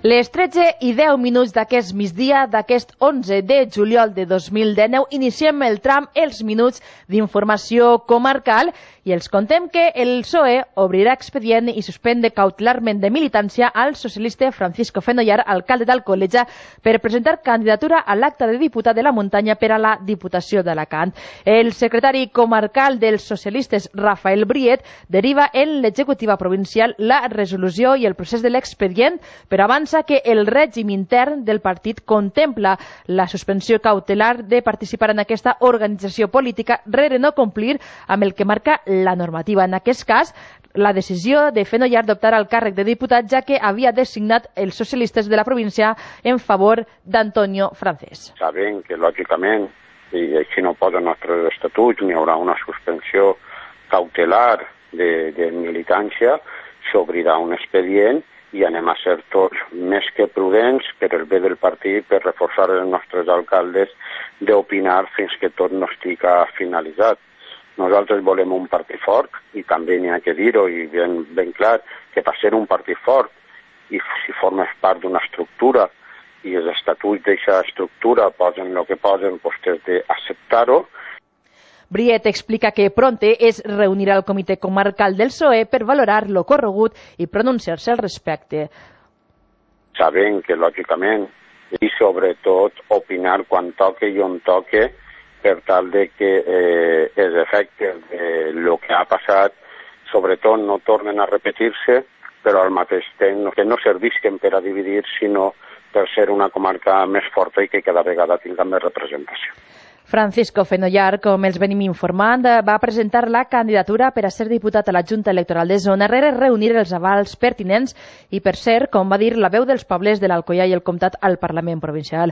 Les 13:10 d'aquest migdia d'aquest 11 de juliol de 2019 iniciem el tram Els Minuts d'informació comarcal i els contem que el PSOE obrirà expedient i suspèn cautelarment de militància al socialista Francisco Fenollar, alcalde d'Alcoleja, per presentar candidatura a l'acta de diputat de la Muntanya per a la Diputació d'Alacant. El secretari comarcal dels socialistes, Rafael Briet, deriva en l'executiva provincial la resolució i el procés de l'expedient, però avança que el règim intern del partit contempla la suspensió cautelar de participar en aquesta organització política rere no complir amb el que marca la normativa. En aquest cas, la decisió de Fenollar d'optar al càrrec de diputat, ja que havia designat els socialistes de la província en favor d'Antonio Francés. Sabem que, lògicament, i així no posa els nostres estatuts, n'hi haurà una suspensió cautelar de militància, s'obrirà un expedient i anem a ser tots més que prudents per el bé del partit, per reforçar els nostres alcaldes d'opinar fins que tot no estigui finalitzat. Nosaltres volem un partit fort i també n'hi ha que dir-ho i ben clar que per ser un partit fort i si formes part d'una estructura i els estatuts d'aquesta estructura posen el que posen, doncs has d'acceptar-ho. Briet explica que Pronte es reunirà al comitè comarcal del PSOE per valorar lo corregut i pronunciar-se al respecte. Sabem que, lògicament, i sobretot opinar quan toque i on toque per tal de que els efectes del que ha passat, sobretot, no tornen a repetir-se, però al mateix temps que no servisquen per a dividir, sinó per ser una comarca més forta i que cada vegada tinga més representació. Francisco Fenollar, com els venim informant, va presentar la candidatura per a ser diputat a la Junta Electoral de Zona rere reunir els avals pertinents i per ser, com va dir, la veu dels pobles de l'Alcoià i el Comtat al Parlament Provincial.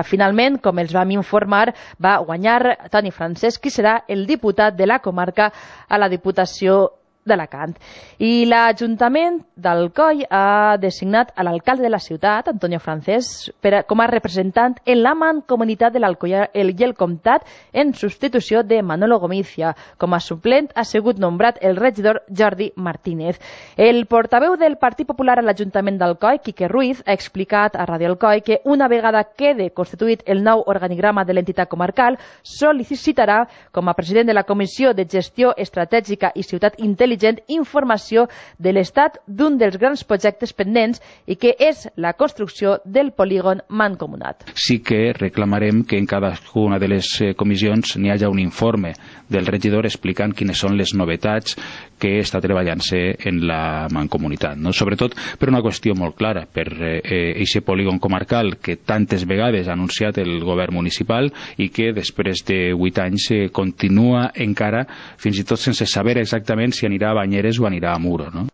Finalment, com els vam informar, va guanyar Toni Francesc, qui serà el diputat de la comarca a la Diputació d'Alacant. I l'Ajuntament d'Alcoi ha designat a l'alcalde de la ciutat, Antonio Francés, com a representant en la mancomunitat de l'Alcoià i el Comtat en substitució de Manolo Gomizia. Com a suplent ha sigut nombrat el regidor Jordi Martínez. El portaveu del Partit Popular a l'Ajuntament d'Alcoi, Quique Ruiz, ha explicat a Radio Alcoi que una vegada quede constituït el nou organigrama de l'entitat comarcal, sol·licitarà, com a president de la Comissió de Gestió Estratègica i Ciutat Intel·ligent, informació de l'estat d'un dels grans projectes pendents i que és la construcció del polígon mancomunat. Sí que reclamarem que en cadascuna de les comissions n'hi hagi un informe del regidor explicant quines són les novetats que està treballant-se en la mancomunitat. Sobretot per una qüestió molt clara, per aquest polígon comarcal que tantes vegades ha anunciat el govern municipal i que després de 8 anys continua encara, fins i tot sense saber exactament si anirà a Banyeres o anirà a Muro, no?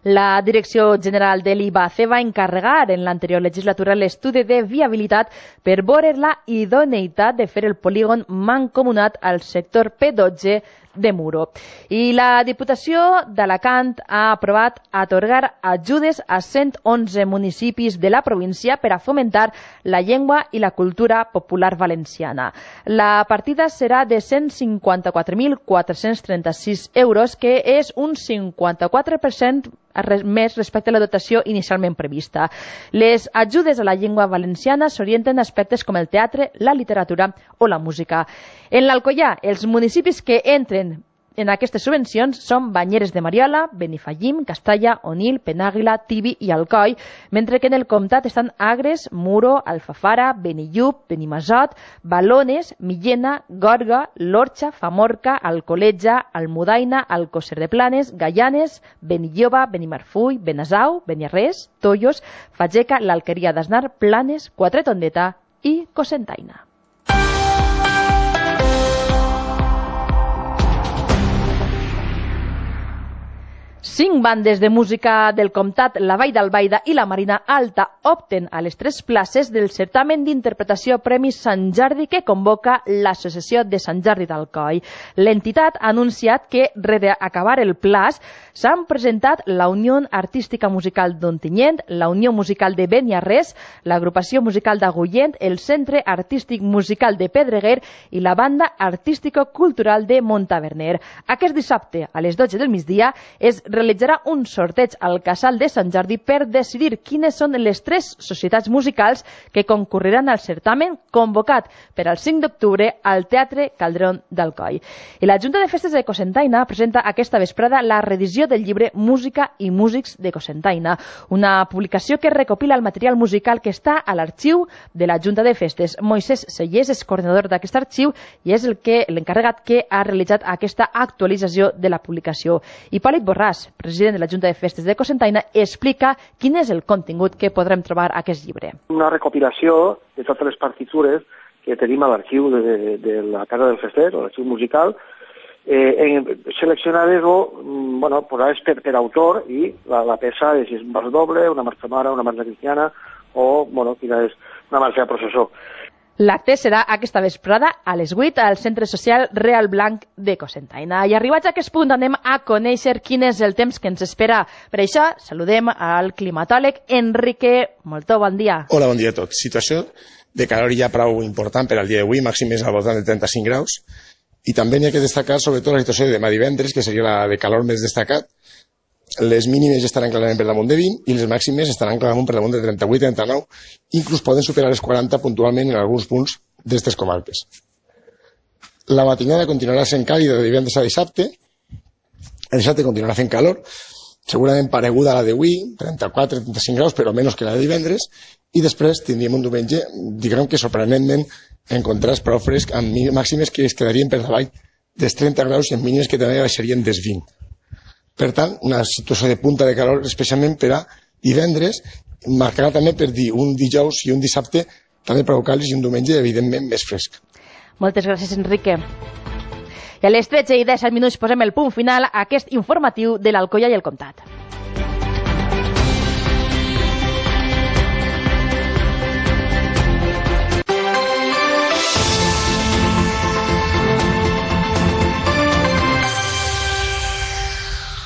La Direcció General de l'IBACE va encarregar en l'anterior legislatura l'estudi de viabilitat per veure la idoneïtat de fer el polígon mancomunat al sector P12 de Muro. I la Diputació d'Alacant ha aprovat atorgar ajudes a 111 municipis de la província per a fomentar la llengua i la cultura popular valenciana. La partida serà de 154.436 euros, que és un 54% més respecte a la dotació inicialment prevista. Les ajudes a la llengua valenciana s'orienten a aspectes com el teatre, la literatura o la música. En l'Alcoià, els municipis que entren en aquestes subvencions són Banyeres de Mariola, Benifallim, Castalla, Onil, Penàguila, Tibi i Alcoi, mentre que en el comtat estan Agres, Muro, Alfafara, Benillup, Benimassot, Balones, Millena, Gorga, l'Orxa, Famorca, Alcoleja, Almudaina, Alcosser de Planes, Gaianes, Benilloba, Benimarfull, Benasau, Beniarrés, Tollos, Fageca, l'Alqueria d'Asnar, Planes, Quatretondeta i Cocentaina. 5 bandes de música del comtat, la Vall d'Albaida i la Marina Alta opten a les 3 places del certamen d'interpretació Premi Sant Jordi que convoca l'Associació de Sant Jordi d'Alcoi. L'entitat ha anunciat que, rere acabar el plaç, s'han presentat la Unió Artística Musical d'Ontinyent, la Unió Musical de Beniarrés, l'Agrupació Musical d'Agullent, el Centre Artístic Musical de Pedreguer i la Banda Artístico-Cultural de Montaverner. Aquest dissabte, a les 12 del migdia, es realitzarà un sorteig al Casal de Sant Jordi per decidir quines són les 3 societats musicals que concurriran al certamen convocat per al 5 d'octubre al Teatre Calderón d'Alcoi. I la Junta de Festes de Cocentaina presenta aquesta vesprada la reedició del llibre Música i músics de Cocentaina, una publicació que recopila el material musical que està a l'arxiu de la Junta de Festes. Moisès Sellers és coordinador d'aquest arxiu i és l'encarregat que ha realitzat aquesta actualització de la publicació. Hipòlit Borràs, president de la Junta de Festes de Cocentaina, explica quin és el contingut que podrem trobar a aquest llibre. Una recopilació de totes les partitures que tenim a l'arxiu de la Casa del Fester, o l'arxiu musical, seleccionades posades per autor, i la peça és un vers doble, una marxa sonora, una marxa cristiana o quina és una marxa de processó. L'acte serà aquesta vesprada a les 8 al Centre Social Real Blanc de Cocentaina. I arribats a aquest punt anem a conèixer quin és el temps que ens espera. Per això saludem al climatòleg Enrique Moltó. Bon dia. Hola, bon dia a tots. Situació de calor ja prou important per al dia d'avui, màxim és al voltant de 35 graus. I també n'hi ha que destacar sobretot la situació de demà divendres, que seria la de calor més destacat. Les mínimes estaran clarament per damunt de 20 i les màximes estaran clarament per damunt de 38-39, inclús poden superar les 40 puntualment en alguns punts d'aquestes comarques. La matinada continuarà sent càlida de divendres a dissabte, el dissabte continuarà fent calor, segurament pareguda a la d'avui, 34-35 graus, però menys que la de divendres, i després tindríem un diumenge, diguem que sorprenentment, en contrast prou fresc, amb màximes que es quedarien per davall dels 30 graus i amb mínimes que també baixarien dels 20. Per tant, una situació de punta de calor especialment per a divendres, marcarà també per dir un dijous i un dissabte també prou càlids i un diumenge evidentment més fresc. Moltes gràcies, Enrique. I a les 13:10 posem el punt final a aquest informatiu de l'Alcoia i el Comtat.